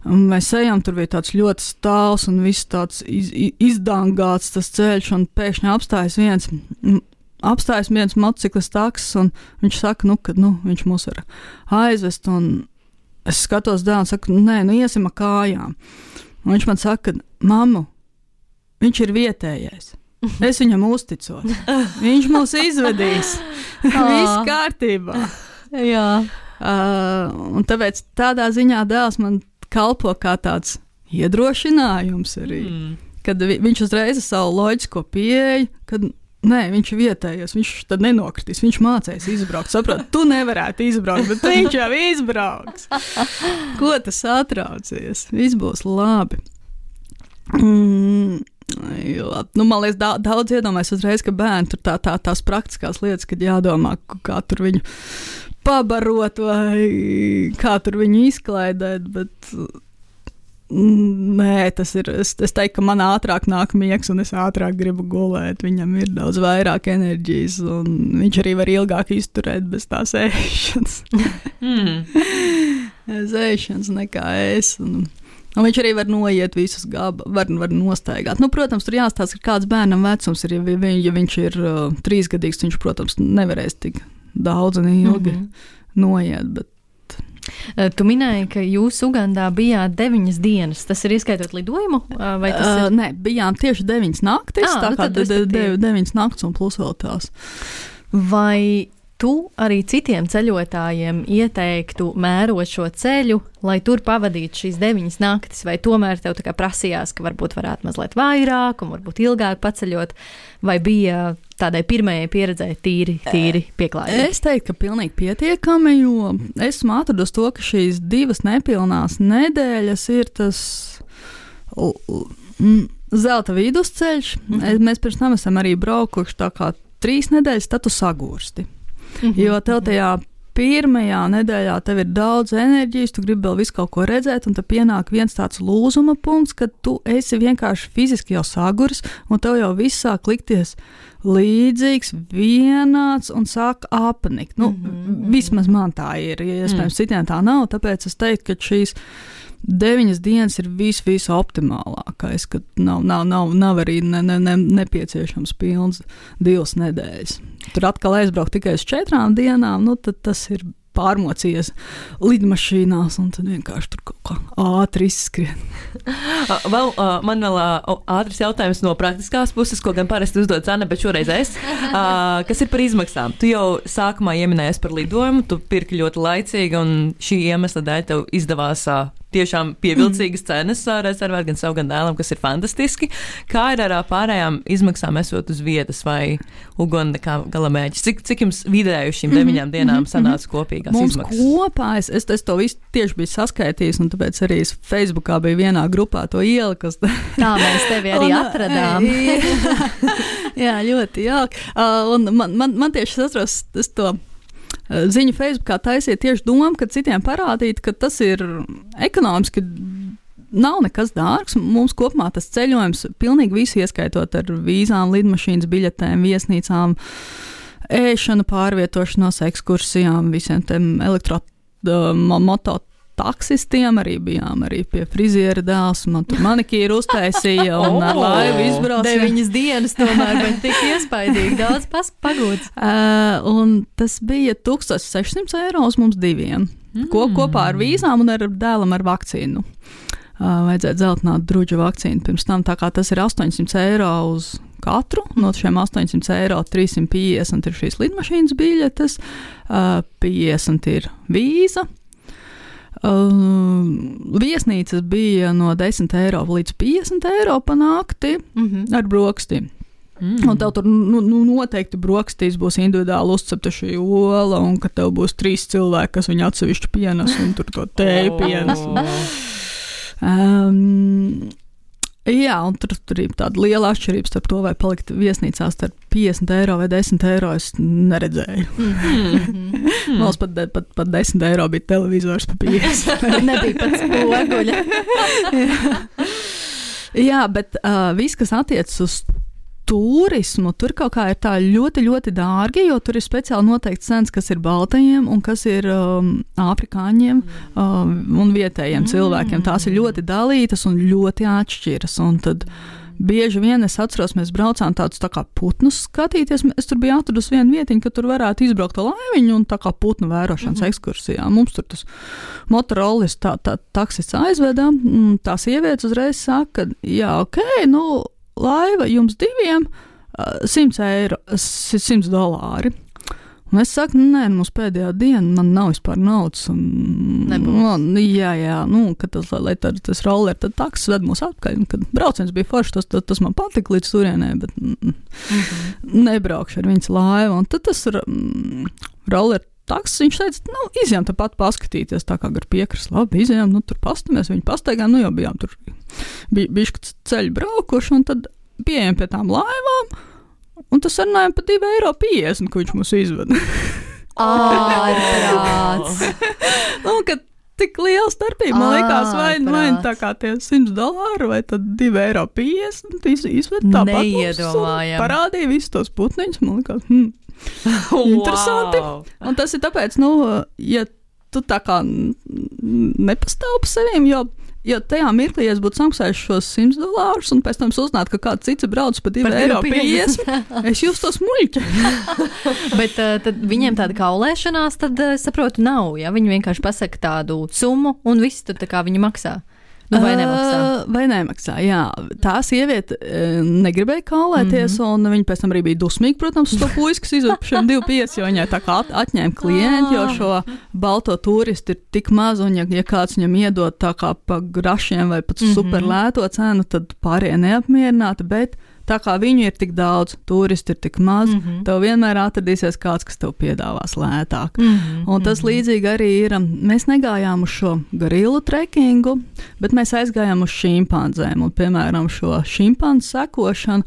Un mēs ejam, tur bija tāds ļoti stāvs un viss tāds izdangāts tas ceļš, un pēkšņi apstājas viens motociklistu taksis, un viņš saka, ka viņš mūs var aizvest, un es skatos dēlu un saku, nē, iesim ar kājām. Un viņš man saka, mammu, viņš ir vietējais. Es viņam uzticos. Viņš mūs izvedīs. Viss kārtībā. Jā. Un tāpēc tādā ziņā dēls man kalpo kā tāds iedrošinājums arī. Kad viņš uzreiz ar savu loģisko pieeju, kad nē, viņš ir vietējais, viņš tad nenokritīs, viņš mācēs izbraukt. Saprot, tu nevarētu izbraukt, bet viņš jau izbrauks. Ko tas atraucies? Viss būs labi. Man liekas, daudz iedomājas uzreiz, ka bērni tur tās praktiskās lietas, kad jādomā, kā tur viņu pabarot vai kā tur viņu izklaidēt, bet nē, tas ir, es teiktu, ka man ātrāk nāk miegs un es ātrāk gribu gulēt, viņam ir daudz vairāk enerģijas un viņš arī var ilgāk izturēt bez tās ēšanas. Ēšanas nekā es. Un viņš arī var noiet visus var nostaigāt. Protams, tur jāstāsta, ka kāds bērnam vecums ir, ja viņš ir 3 gadīgs, viņš, protams, nevarēs tik daudz un ilgi noiet, bet Tu minēji, ka jūs Ugandā bijāt 9 dienas. Tas ir ieskaitot lidojumu? Vai tas ir? Nē, bijām tieši 9 naktis, tā kā 9 naktis un plus vēl tās. Vai tu arī citiem ceļotājiem ieteiktu mērot šo ceļu, lai tur pavadītu šīs 9 naktis, vai tomēr tev tā kā prasījās, ka varbūt varētu mazliet vairāk un varbūt ilgāk paceļot, vai bija tādai pirmajai pieredzē tīri pieklājīgi? Es teiktu, ka pilnīgi pietiekami, jo esmu atradusi to, ka šīs 2 nepilnās nedēļas ir tas zelta vidusceļš. Mēs pirms tam esam arī braukuši tā kā 3 nedēļas, tad tu sagursti. Jo tev tajā pirmajā nedēļā tev ir daudz enerģijas, tu gribi vēl visu kaut ko redzēt, un tad pienāk viens tāds lūzuma punkts, kad tu esi vienkārši fiziski jau saguris, un tev jau viss sāk likties līdzīgs, vienāds un sāk apnikt. Vismaz man tā ir, ja iespējams citiem tā nav, tāpēc es teiktu, ka šīs 9 dienas ir visu optimālākais, kad nav arī nepieciešams pilns 2 nedēļas. Tur atkal aizbraukt tikai uz 4 dienām, tad tas ir pārmocījies lidmašīnās, un tad vienkārši tur kaut kā ātri izskrien. Man vēl ātrs jautājums no praktiskās puses, ko gan parasti uzdod Zane, bet šoreiz es. Kas ir par izmaksām? Tu jau sākumā ieminējies par lidojumu, tu pirki ļoti laicīgi, un šī iemesla dēļ tev izdevās tiešām pievilcīgas cenas rezervēt gan savu, gan dēlam, kas ir fantastiski. Kā ir ar pārējām izmaksām esot uz vietas vai uguni kā galamērķis? Cik jums vidēji uz šīm 9 dienām sanāca kopīgās izmaksas? Mums kopā, es to visu tieši biju saskaitījis, un tāpēc arī es Facebookā biju vienā grupā to ieliku. Tā mēs tevi arī atradām. Jā, ļoti jauki. Un man tieši atceros to ziņu Facebookā taisīja tieši doma, ka citiem parādīt, ka tas ir ekonomiski nav nekas dārgs. Mums kopumā tas ceļojums pilnīgi visu ieskaitot ar vīzām, lidmašīnas biļetēm, viesnīcām, ēšanu, pārvietošanos, ekskursijām, visiem tiem mototaksistiem arī bijām, arī pie friziera dēls, man tur manikīru uztaisīja un ar laivu izbrauc. 9 dienas tomēr, bet tik iespaidīgi, daudz pagūts. Un tas bija 1600 € uz mums 2. Kopā ar vīzām un ar dēlam ar vakcīnu. Vajadzētu zeltināt druģa vakcīnu pirms tam, tā kā tas ir 800 € uz katru. No šiem 800 € 350 ir šīs lidmašīnas biļetes, 50 ir vīza. Viesnīcas bija no 10 € līdz 50 € pa nakti ar brokastīm. Un tev tur noteikti brokastīs būs individuāli uzcepta šī ola, un ka tev būs 3 cilvēki, kas viņu atsevišķi pienes, un tur to tēju pienes. Jā, un tur ir tāda liela atšķirība starp to, vai palikt viesnīcās starp 50 € vai 10 € es neredzēju. Mums pat 10 € bija televizors pa 50. Nebija pat spoguļa. Jā, bet viss, kas attiecas uz turismu, tur kaut kā ir tā ļoti, ļoti dārgi, jo tur ir speciāli noteikts cenas, kas ir baltajiem un kas ir afrikāņiem un vietējiem cilvēkiem. Tās ir ļoti dalītas un ļoti atšķiras. Un tad bieži vien es atceros, mēs braucām tādus tā kā putnus skatīties. Es tur biju atradusi vienu vietiņu, ka tur varētu izbraukt ar laiviņu un tā kā putnu vērošanas ekskursijā. Mums tur tas motorolis tā taksists aizveda. Tā sievietes uzreiz saka, ka jā, laiva jums 2 $100. Un es saku, nē, mums pēdējā diena, man nav vispār naudas. Lai tas roller, tad taksis ved mūs atpakaļ. Kad brauciens bija foršs, tas man patika līdz turienē, bet nebraukšu ar viņas laivu. Un tad tas roller taksis, viņš teica, izjām tāpat paskatīties, tā kā gar piekras, labi, izjām, tur pastamies, viņi pastaigām, jau bijām tur bišķi ceļu braukuši, un tad pieejam pie tām laivām, un tas sarunājam pa 2,50 €, ko viņš mums izveda. Ārprāts! Kad tik liela starpība, man liekas, vai tā kā tie $100 vai tad 2,50 € izved tāpat mums, parādīja visus tos putniņus, man liekas, interesanti. Un tas ir tāpēc, ja tu tā kā nepastāv pa sevīm, jo tajā mirklī, ja es būtu samaksājis šos $100 un pēc tam uzzinātu, ka kāds cits brauc pa 2,50 €, es justos muļķi. Bet tad viņiem tāda kaulēšanās, tad saprotu, nav, ja? Viņi vienkārši pasaka tādu summu un viss tad tā kā viņi maksā. Vai nemaksā? Vai nemaksā, jā. Tā sieviete negribēja kaulēties, un viņa pēc tam arī bija dusmīga, protams, uz to puisi, kas izved par šiem 2,5, jo viņai tā kā atņēma klienti, jo šo balto turistu ir tik maz, un ja kāds viņam iedod tā kā pa grašiem vai pat super lēto cenu, tad pārējie neapmierināti, bet tā kā viņu ir tik daudz, turisti ir tik maz, tev vienmēr atradīsies kāds, kas tev piedāvās lētāk. Un tas līdzīgi arī ir, mēs negājām uz šo gorilu trekingu, bet mēs aizgājām uz šimpanzēm, un piemēram šo šimpanzu sekošanu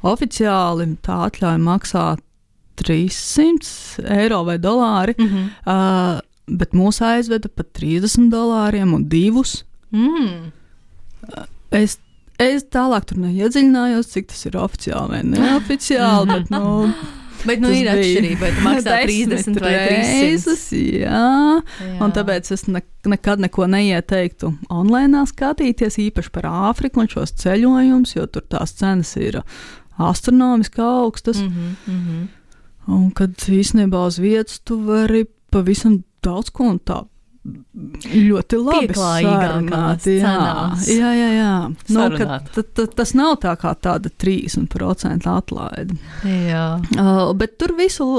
oficiāli tā atļauja maksāt 300 eiro vai dolāri, bet mūs aizveda pat $30 un 2. Es tālāk tur neiedziļinājos, cik tas ir oficiāli vai neoficiāli, bet ir atšķirība, vai tu maksā 30 vai 300. Jā, un tāpēc es nekad neko neieteiktu online skatīties, īpaši par Āfriku un šos ceļojumus, jo tur tās cenas ir astronomiski augstas. Un kad īstenībā uz vietas tu vari pavisam daudz ko un tā ļoti labi sarunāt. Jā. Tas nav tā kā tāda 30% atlaide. Jā. Bet tur visu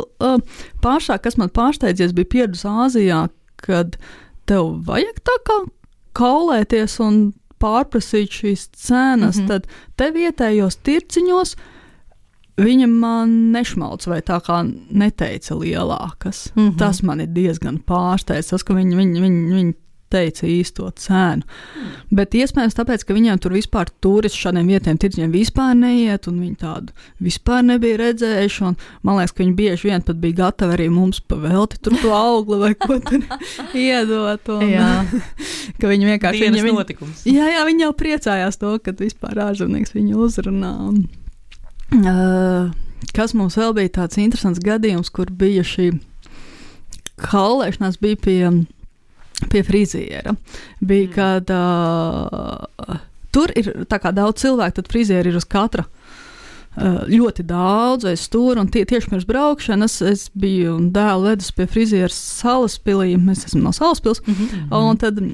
pašā, kas man pārsteidzies, bija pieredze Āzijā, kad tev vajag tā kā kaulēties un pārprasīt šīs cenas, tad te vietējos tirciņos viņa man nešmalc vai tā kā neteica lielākas. Tas man ir diezgan pārsteidz, tas, ka viņi teica īsto cenu. Bet iespējams tāpēc, ka viņiem tur vispār turisti šādiem vietiem tirdziņiem vispār neiet, un viņi tādu vispār nebija redzējuši, un man liekas, ka viņi bieži vien pat bija gatavi arī mums pavelti tur to augli vai ko tur iedot. Un, ka viņi vienkārši... Dienas notikums. Jā, viņi jau priecājās to, kad vispār ārzemnieks viņu uzrunā. Kas mums vēl bija tāds interesants gadījums, kur bija šī kaulēšanās, bija pie friziera. Bija, kad tur ir tā kā daudz cilvēku, tad frizieri ir uz katra ļoti daudz aiz stūra, un tieši pirms braukšanas es biju un dēlu vedus pie friziera Salaspilī, mēs esam no Salaspils, un tad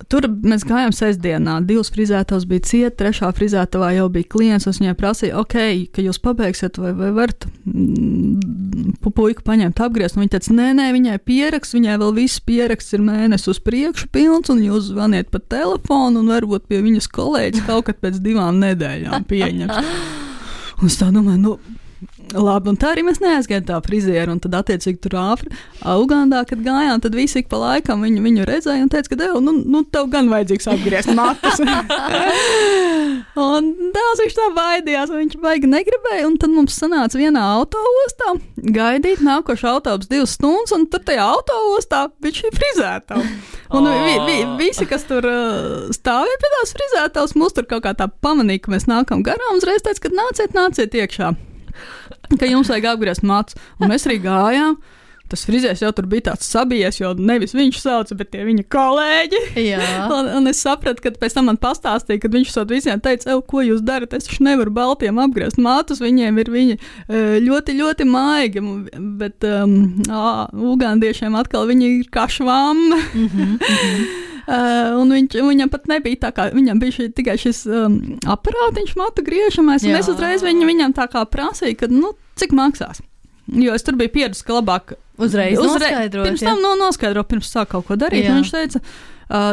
tur mēs gājām sestdienā, 2 frizētavas bija ciet, 3. frizētavā jau bija klients, un viņai prasīja, ka jūs pabeigsiet, vai varat puiku paņemt apgriezt, un viņa teica, nē, viņai pieraksts, viņai vēl viss pieraksts ir mēnesis uz priekšu pilns, un jūs zvaniet pa telefonu, un varbūt pie viņas kolēģis kaut kad pēc 2 nedēļām pieņems. Un es tā domāju, labi, un tā arī mēs neaizgājām tā frizieru, un tad attiecīgi tur Ugandā, kad gājām, tad visi ik pa laikam viņu redzēja un teica, ka tev gan vajadzīgs apgriezt matus. Un dēls viņš tā baidījās, un viņš baigi negribēja, un tad mums sanāca vienā autoostā gaidīt nākošu autobus 2 stundas, un tur tajā autoostā viņš ir frizētava. Un visi, kas tur stāvēja pie tās frizētavas, mūs tur kaut kā tā pamanīja, ka mēs nākam garām, uzreiz teica, ka nāciet iekšā, ka jums vajag apgriezt matus. Un mēs arī gājām. Tas frizērs jau tur bija tāds sabijies, jo nevis viņš sauca, bet tie viņa kolēģi. Un es sapratu, kad pēc tam man pastāstīja, kad viņš sot visiem teica, ko jūs darat, es taču nevaru baltiem apgriezt matus, viņiem ir viņi ļoti, ļoti maigi, bet ugandiešiem atkal viņi ir kā švamma. Un viņam pat nebija tā kā, viņam bija tikai šis aparātiņš matu griežamais, un es uzreiz viņam tā kā prasīju, ka, cik maksās. Jo es tur biju pieredzi, ka labāk uzreiz noskaidrot. Pirms tam noskaidro, pirms sāk kaut ko darīt. Un viņš teica,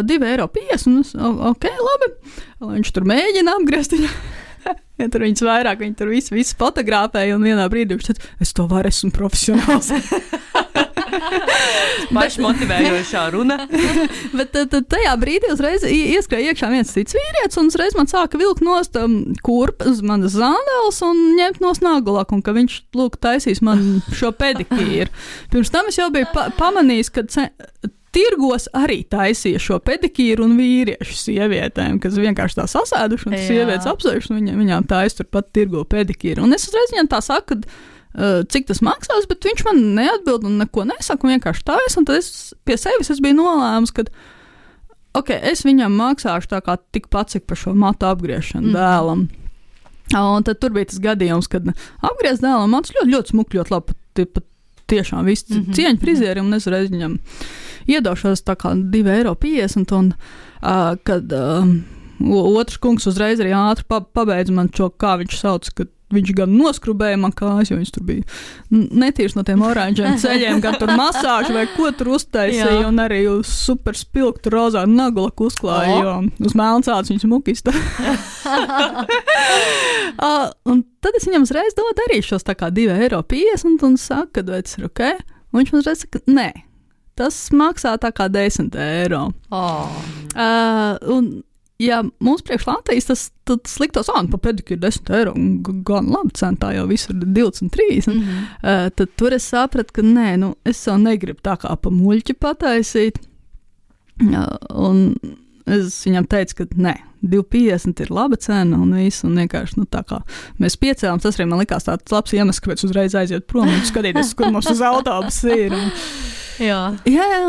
€2,50, un es, ok, labi. Un viņš tur mēģina apgriezt. Ja tur viņas vairāk, viņi tur visu fotografēja, un vienā brīdī viņš teica, es to varu, esmu profesionāls. Pašmotivējošā runa. Bet tajā brīdī uzreiz ieskrēja iekšā viens cits vīrietis, un uzreiz man sāka vilkt nost kurpes, manas zandeles un ņemt no snagulaku, un ka viņš, taisīs man šo pedikīru. Pirms tam es jau biju pamanījis, ka tirgos arī taisīja šo pedikīru un vīriešu sievietēm, kas vienkārši tā sasēduši, un sievietes apsējuši, un viņām taisa turpat tirgo pedikīru. Un es uzreiz viņam tā saku, cik tas maksās, bet viņš man neatbild un neko nesaka, un vienkārši taisa, un tad es pie sevis biju nolēmus, ka es viņam maksāšu tā kā tikpat, cik par šo matu apgriešanu dēlam. Un tad tur bija tas gadījums, kad apgriezt dēlam matus ļoti, ļoti smuki, ļoti labi, pat tiešām viss cieņa frizierim, un es reiz viņam iedošos tā kā 2,50 €, un kad otrs kungs uzreiz arī ātri pabeidza man šo, kā viņš sauc, ka viņš gan noskrubēja man kājas, jo viņš tur bija netīrs no tiem oranžiem ceļiem, gan tur masāžu vai ko tur uztaisīja, un arī uz super spilgtu rozā nagulaku uzklāja, jo uz melncāds viņš mukista. Un tad es viņam uzreiz dodu arī šos tā kā 2,50 € un saku, ka vai tas ir ok? Un viņš man uzreiz saka, nē, tas maksā tā kā 10 €. Un ja mums priekš Latvijas tas liktos, pa pedikūru 10 €, gan labi cena, tā jau visur 23, tad tur es sapratu, ka nē, es jau negribu tā kā pa muļķi pataisīt, un es viņam teicu, ka nē, 2,50 € ir laba cena un viss, un vienkārši, tā kā mēs piecēlām, tas arī man likās tāds labs iemesls, kāpēc uzreiz aiziet prom un skatīties, kur mums uz autobusu ir. Jā,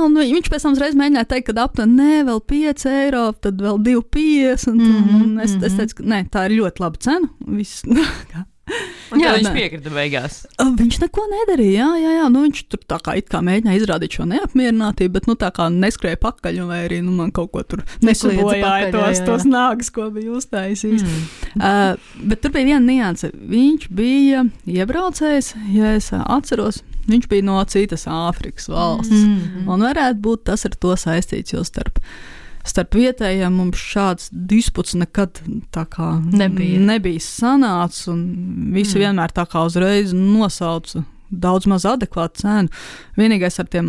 un viņš pēc tam uzreiz mēģināja teikt, ka aptuveni nē, vēl 5 €, tad vēl 2,50 €, un es teicu, ka nē, tā ir ļoti laba cena. Viss, un jā, viņš piekrita beigās. Viņš neko nedarīja, jā, viņš tur tā kā it kā mēģināja izrādīt šo neapmierinātību, bet tā kā neskrēja pakaļ, vai arī man kaut ko tur nesabojāja tos nāgas, ko bija uztaisījis. Bet tur bija viena nianse. Viņš bija iebraucējs, ja es atceros, viņš bija no citas Āfrikas valsts, un varētu būt tas ar to saistīts, jo starp vietējiem mums šāds disputs nekad tā kā nebija sanācis, un visi vienmēr tā kā uzreiz nosauca daudz maz adekvātu cenu. Vienīgais ar tiem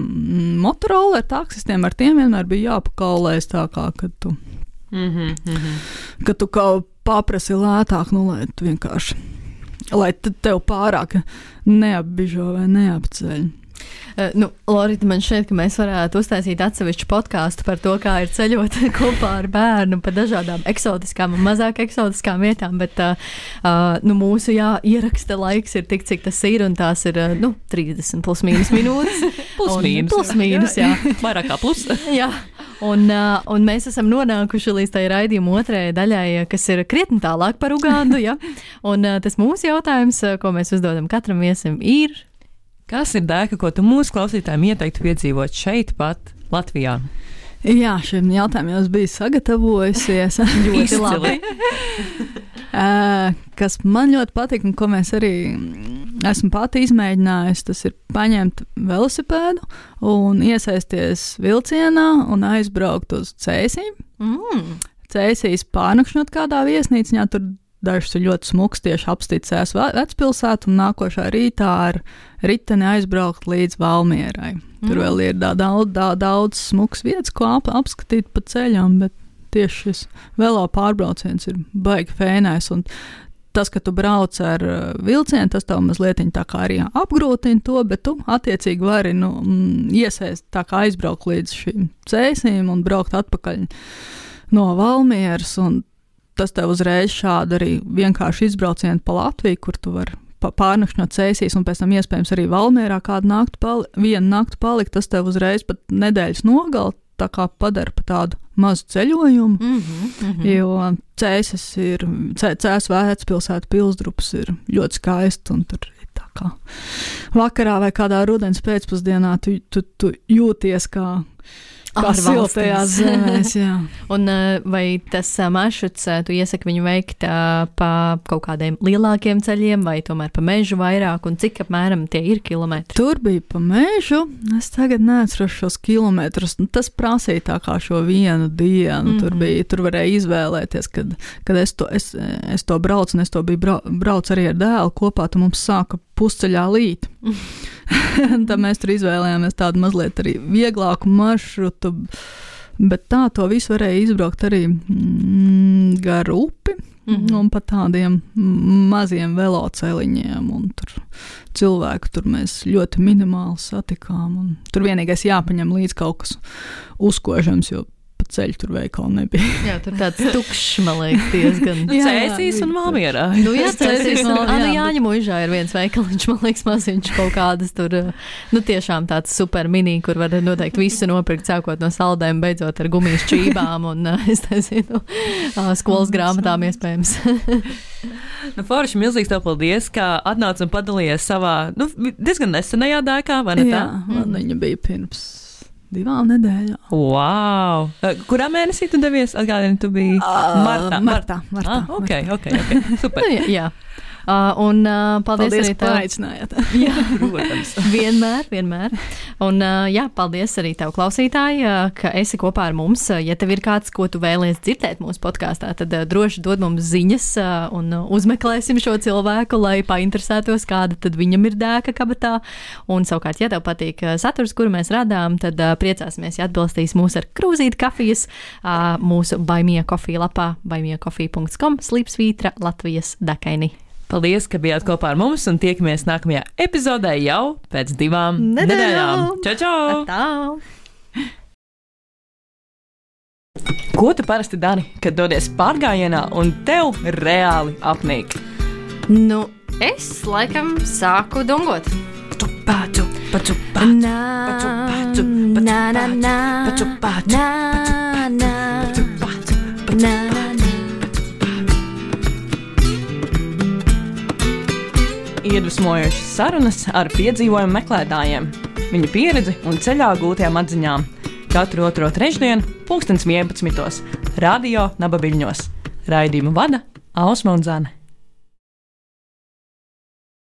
Motorola taksistiem, ar tiem vienmēr bija jāpakaulēs tā kā, kad tu kaut paprasi lētāk, lai tu vienkārši, lai tev pārāk neapbižo vai neapceļ. Lorita, man šķiet, ka mēs varētu uztaisīt atsevišķu podkāstu par to, kā ir ceļot kopā ar bērnu pa dažādām eksotiskām un mazāk eksotiskām vietām, bet mūsu ieraksta laiks ir tik, cik tas ir, un tās ir 30 plus mīnus minūtes. Plus mīnus, jā. Vairāk kā plus. Jā. Un mēs esam nonākuši līdz tai raidījuma otrajai daļai, kas ir krietni tālāk par Ugandu, ja? Un tas mūsu jautājums, ko mēs uzdodam katram viesim, ir: kas ir dēka, ko tu mūsu klausītājiem ieteiktu piedzīvot šeit pat Latvijā? Jā, šim jautājumam jau biju sagatavojusies. Ļoti labi. Kas man ļoti patīk un ko mēs arī esmu pati izmēģinājusi, tas ir paņemt velosipēdu un iesaisties vilcienā un aizbraukt uz Cēsīm. Cēsīs pārnakšņot kādā viesnīciņā, tur dažs ir ļoti smuks, tieši apstīcējās vecpilsētu, un nākošā rītā ar riteni aizbraukt līdz Valmierai. Tur vēl ir daudz smuks vietas, ko apskatīt pa ceļām, bet tieši šis velo pārbrauciens ir baigi fēnais, un tas, ka tu brauc ar vilcienu, tas tev mazliet tā kā arī apgrūtina to, bet tu attiecīgi vari iesaist tā kā aizbraukt līdz šīm Cēsīm un braukt atpakaļ no Valmieras, un tas tev uzreiz šādi arī vienkārši izbraucieni pa Latviju, kur tu vari pārnakšņot Cēsīs un pēc tam iespējams arī Valmierā vienu nakti palikt, tas tev uzreiz pat nedēļas nogali tā kā padara pa tādu mazu ceļojumu, jo Cēsis ir, Cēsu vecpilsētu Pilsdrups ir ļoti skaisti, un tur ir tā kā vakarā vai kādā rudens pēcpusdienā tu jūties kā siltajās zemēs, jā. Un vai tas maršruts, tu iesaki viņu veikt pa kaut kādiem lielākiem ceļiem, vai tomēr pa mežu vairāk, un cik apmēram tie ir kilometri? Tur bija pa mežu, es tagad neatceros šos kilometrus, tas prasīja tā kā šo vienu dienu, tur varēja izvēlēties, kad es to braucu, un es to biju brauc arī ar dēlu kopā, tad mums sāka pusceļā līt. Tad mēs tur izvēlējāmies tādu mazliet arī vieglāku maršrutu, bet tā to visu varēja izbraukt arī gar upi un pa tādiem maziem veloceliņiem, un tur cilvēku tur mēs ļoti minimāli satikām, un tur vienīgais jāpaņem līdz kaut kas uzkožams, jo pa ceļu tur veikali nebija. Jā, tur tāds tukšs, man liekas, diezgan. Cēsīs un Valmierā. Jā, Cēsīs un Valmierā. Jāņa Muižā ir viens veikaliņš, man liekas, maziņš kaut kādas tur, tiešām tāds super mini, kur var noteikti visu nopirkt, sākot no saldēm, beidzot ar gumijas čībām un, es nezinu, skolas grāmatām iespējams. Forši, milzīgs tev paldies, ka atnāc un padalījies savā, diezgan nesenajā dēkā, vai ne tā? Jā, man viņa bija pirms 2 nedēļām. Wow! Kurā mēnesī tu devies? Atgādini, tu biji Martā. Ok, super. Jā. Paldies Paldies, arī ka aicinājāt. Jā, Protams. vienmēr. Un paldies arī tev, klausītāji, ka esi kopā ar mums. Ja tev ir kāds, ko tu vēlies dzirdēt mūsu podkāstā, tad droši dod mums ziņas un uzmeklēsim šo cilvēku, lai painteresētos, kāda tad viņam ir dēka kabatā. Un savukārt, ja tev patīk saturs, kuru mēs radām, tad priecāsimies, ja atbilstīs mūs ar krūzīti kafijas mūsu Buy Me a Coffee lapā buymeacoffee.com / Latvijas dekaini. Paldies, ka bijāt kopā ar mums un tiekamies nākamajā epizodē jau pēc 2 nedēļām. Čau! Tā! Ko tu parasti dari, kad dodies pārgājienā un tev reāli apnīk? Nu, es laikam sāku dungot. Iedvesmojošas sarunas ar piedzīvojumu meklētājiem, viņu pieredzi un ceļā gūtajām atziņām. Katru otro trešdienu, 11:00, Radio Nabaviļņos. Raidījumu vada Ausma un Zane.